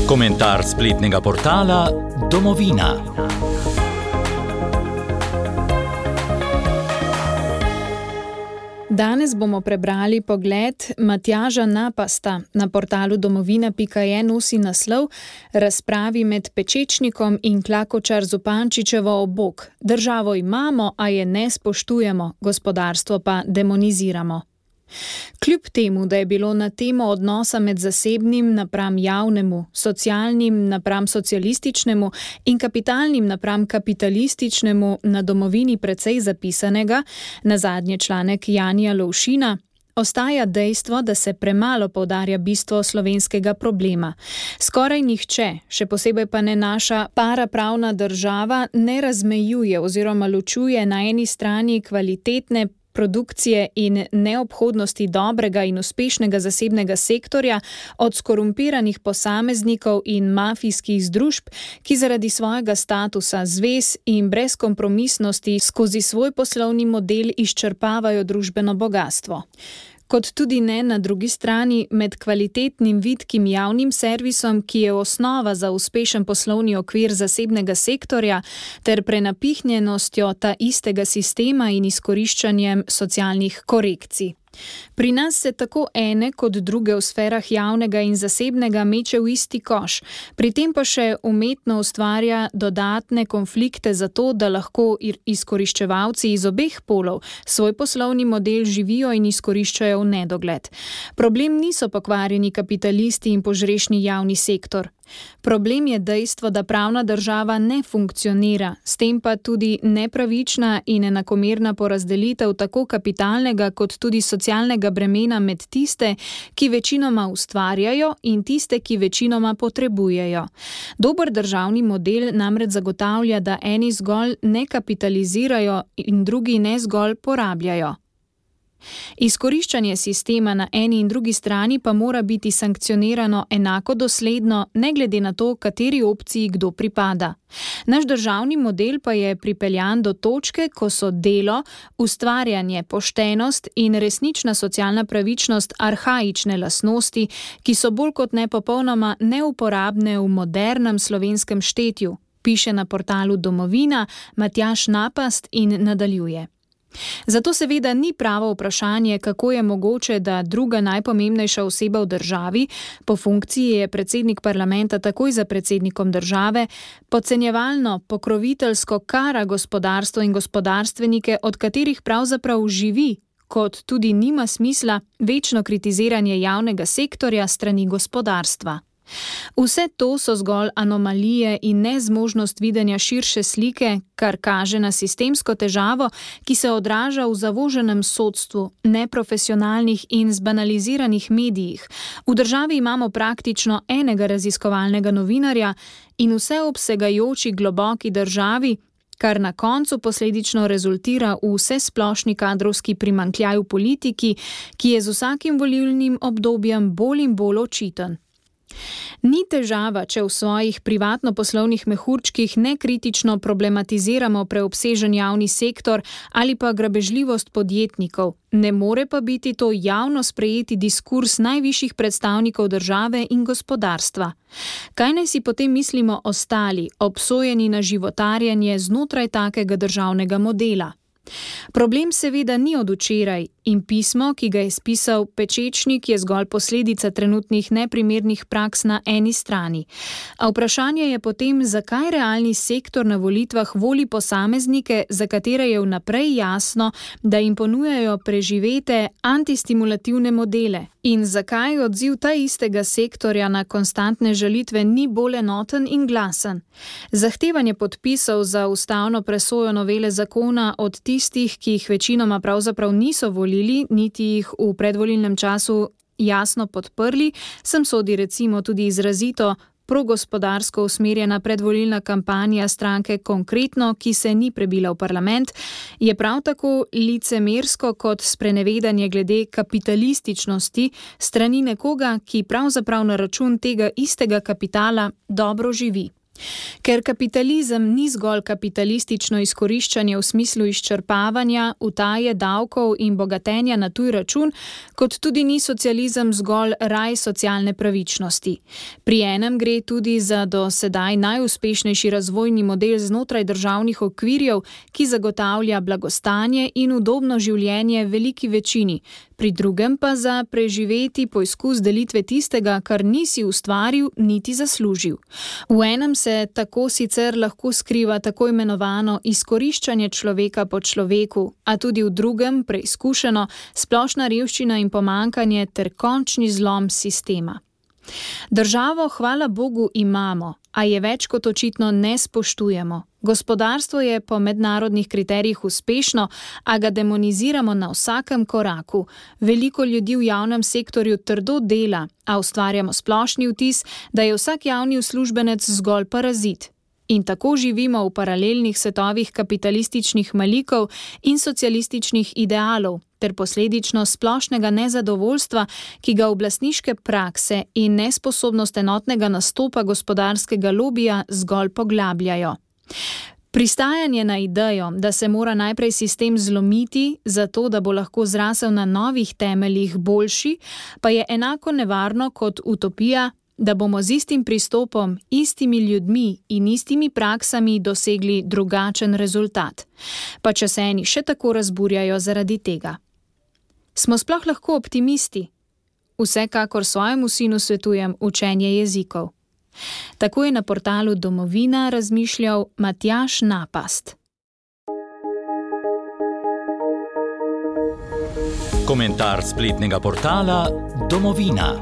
Komentar spletnega portala Domovina. Danes bomo prebrali pogled Matjaža Napasta. Na portalu domovina.je nosi naslov Razpravi med Pečečnikom in Klakočar Zupančičevo ob bok. Državo imamo, a je ne spoštujemo, gospodarstvo pa demoniziramo. Kljub temu, da je bilo na temo odnosa med zasebnim napram javnemu, socialnim napram socialističnemu in kapitalnim napram kapitalističnemu na Domovini precej zapisanega, nazadnje članek Janija Lovšina, ostaja dejstvo, da se premalo poudarja bistvo slovenskega problema. Skoraj nihče, še posebej pa ne naša parapravna država, ne razmejuje oziroma ločuje na eni strani kvalitetne produkcije in neobhodnosti dobrega in uspešnega zasebnega sektorja od skorumpiranih posameznikov in mafijskih združb, ki zaradi svojega statusa zvez in brezkompromisnosti skozi svoj poslovni model izčrpavajo družbeno bogastvo. Kot tudi ne na drugi strani med kvalitetnim vitkim javnim servisom, ki je osnova za uspešen poslovni okvir zasebnega sektorja, ter prenapihnjenostjo ta istega sistema in izkoriščanjem socialnih korekcij. Pri nas se tako ene kot druge v sferah javnega in zasebnega meče v isti koš, pri tem pa še umetno ustvarja dodatne konflikte za to, da lahko izkoriščevalci iz obeh polov svoj poslovni model živijo in izkoriščajo v nedogled. Problem niso pokvarjeni kapitalisti in požrešni javni sektor. Problem je dejstvo, da pravna država ne funkcionira, s tem pa tudi nepravična in enakomerna porazdelitev tako kapitalnega kot tudi socialnega bremena med tiste, ki večinoma ustvarjajo in tiste, ki večinoma potrebujejo. Dober državni model namreč zagotavlja, da eni zgolj ne kapitalizirajo in drugi ne zgolj porabljajo. Izkoriščanje sistema na eni in drugi strani pa mora biti sankcionirano enako dosledno, ne glede na to, kateri opciji kdo pripada. Naš državni model pa je pripeljan do točke, ko so delo, ustvarjanje, poštenost in resnična socialna pravičnost arhaične lastnosti, ki so bolj kot ne popolnoma neuporabne v modernem slovenskem štetju, piše na portalu Domovina Matjaž Napast in nadaljuje. Zato seveda ni pravo vprašanje, kako je mogoče, da druga najpomembnejša oseba v državi, po funkciji je predsednik parlamenta takoj za predsednikom države, podcenjevalno, pokroviteljsko kara gospodarstvo in gospodarstvenike, od katerih pravzaprav živi, kot tudi nima smisla večno kritiziranje javnega sektorja strani gospodarstva. Vse to so zgolj anomalije in nezmožnost videnja širše slike, kar kaže na sistemsko težavo, ki se odraža v zavoženem sodstvu, neprofesionalnih in zbanaliziranih medijih. V državi imamo praktično enega raziskovalnega novinarja in vseobsegajoči globoki državi, kar na koncu posledično rezultira v vsesplošni kadrovski primanjkljaj v politiki, ki je z vsakim volilnim obdobjem bolj in bolj očiten. Ni težava, če v svojih privatno-poslovnih mehurčkih nekritično problematiziramo preobsežen javni sektor ali pa grabežljivost podjetnikov. Ne more pa biti to javno sprejeti diskurs najvišjih predstavnikov države in gospodarstva. Kaj naj si potem mislimo ostali, obsojeni na životarjenje znotraj takega državnega modela? Problem seveda ni od včeraj in pismo, ki ga je spisal Pečečnik, je zgolj posledica trenutnih neprimernih praks na eni strani. A vprašanje je potem, zakaj realni sektor na volitvah voli posameznike, za katere je vnaprej jasno, da jim ponujajo preživete antistimulativne modele. In zakaj odziv ta istega sektorja na konstantne žalitve ni bolj enoten in glasen? Zahtevanje podpisov za ustavno presojo novele zakona od tistih, ki jih večinoma pravzaprav niso volili, niti jih v predvolilnem času jasno podprli, sem sodi recimo tudi izrazito progospodarsko usmerjena predvolilna kampanja stranke Konkretno, ki se ni prebila v parlament, je prav tako licemersko kot sprenevedanje glede kapitalističnosti strani nekoga, ki pravzaprav na račun tega istega kapitala dobro živi. Ker kapitalizem ni zgolj kapitalistično izkoriščanje v smislu izčrpavanja, utaje davkov in bogatenja na tuj račun, kot tudi ni socializem zgolj raj socialne pravičnosti. Pri enem gre tudi za do sedaj najuspešnejši razvojni model znotraj državnih okvirjev, ki zagotavlja blagostanje in udobno življenje veliki večini, pri drugem pa za preživeti poizkus delitve tistega, kar nisi ustvaril niti zaslužil. V enem se tako sicer lahko skriva tako imenovano izkoriščanje človeka po človeku, a tudi v drugem preizkušeno splošna revščina in pomanjkanje ter končni zlom sistema. Državo, hvala Bogu, imamo, a je več kot očitno ne spoštujemo. Gospodarstvo je po mednarodnih kriterijih uspešno, a ga demoniziramo na vsakem koraku. Veliko ljudi v javnem sektorju trdo dela, a ustvarjamo splošni vtis, da je vsak javni uslužbenec zgolj parazit. In tako živimo v paralelnih svetovih kapitalističnih malikov in socialističnih idealov, ter posledično splošnega nezadovoljstva, ki ga oblastniške prakse in nesposobnost enotnega nastopa gospodarskega lobija zgolj poglabljajo. Pristajanje na idejo, da se mora najprej sistem zlomiti, zato da bo lahko zrasel na novih temeljih boljši, pa je enako nevarno kot utopija, da bomo z istim pristopom, istimi ljudmi in istimi praksami dosegli drugačen rezultat. Pa če se eni še tako razburjajo zaradi tega. Smo sploh lahko optimisti? Vsekakor svojemu sinu svetujem učenje jezikov. Tako je na portalu Domovina razmišljal Matjaž Napast. Komentar spletnega portala Domovina.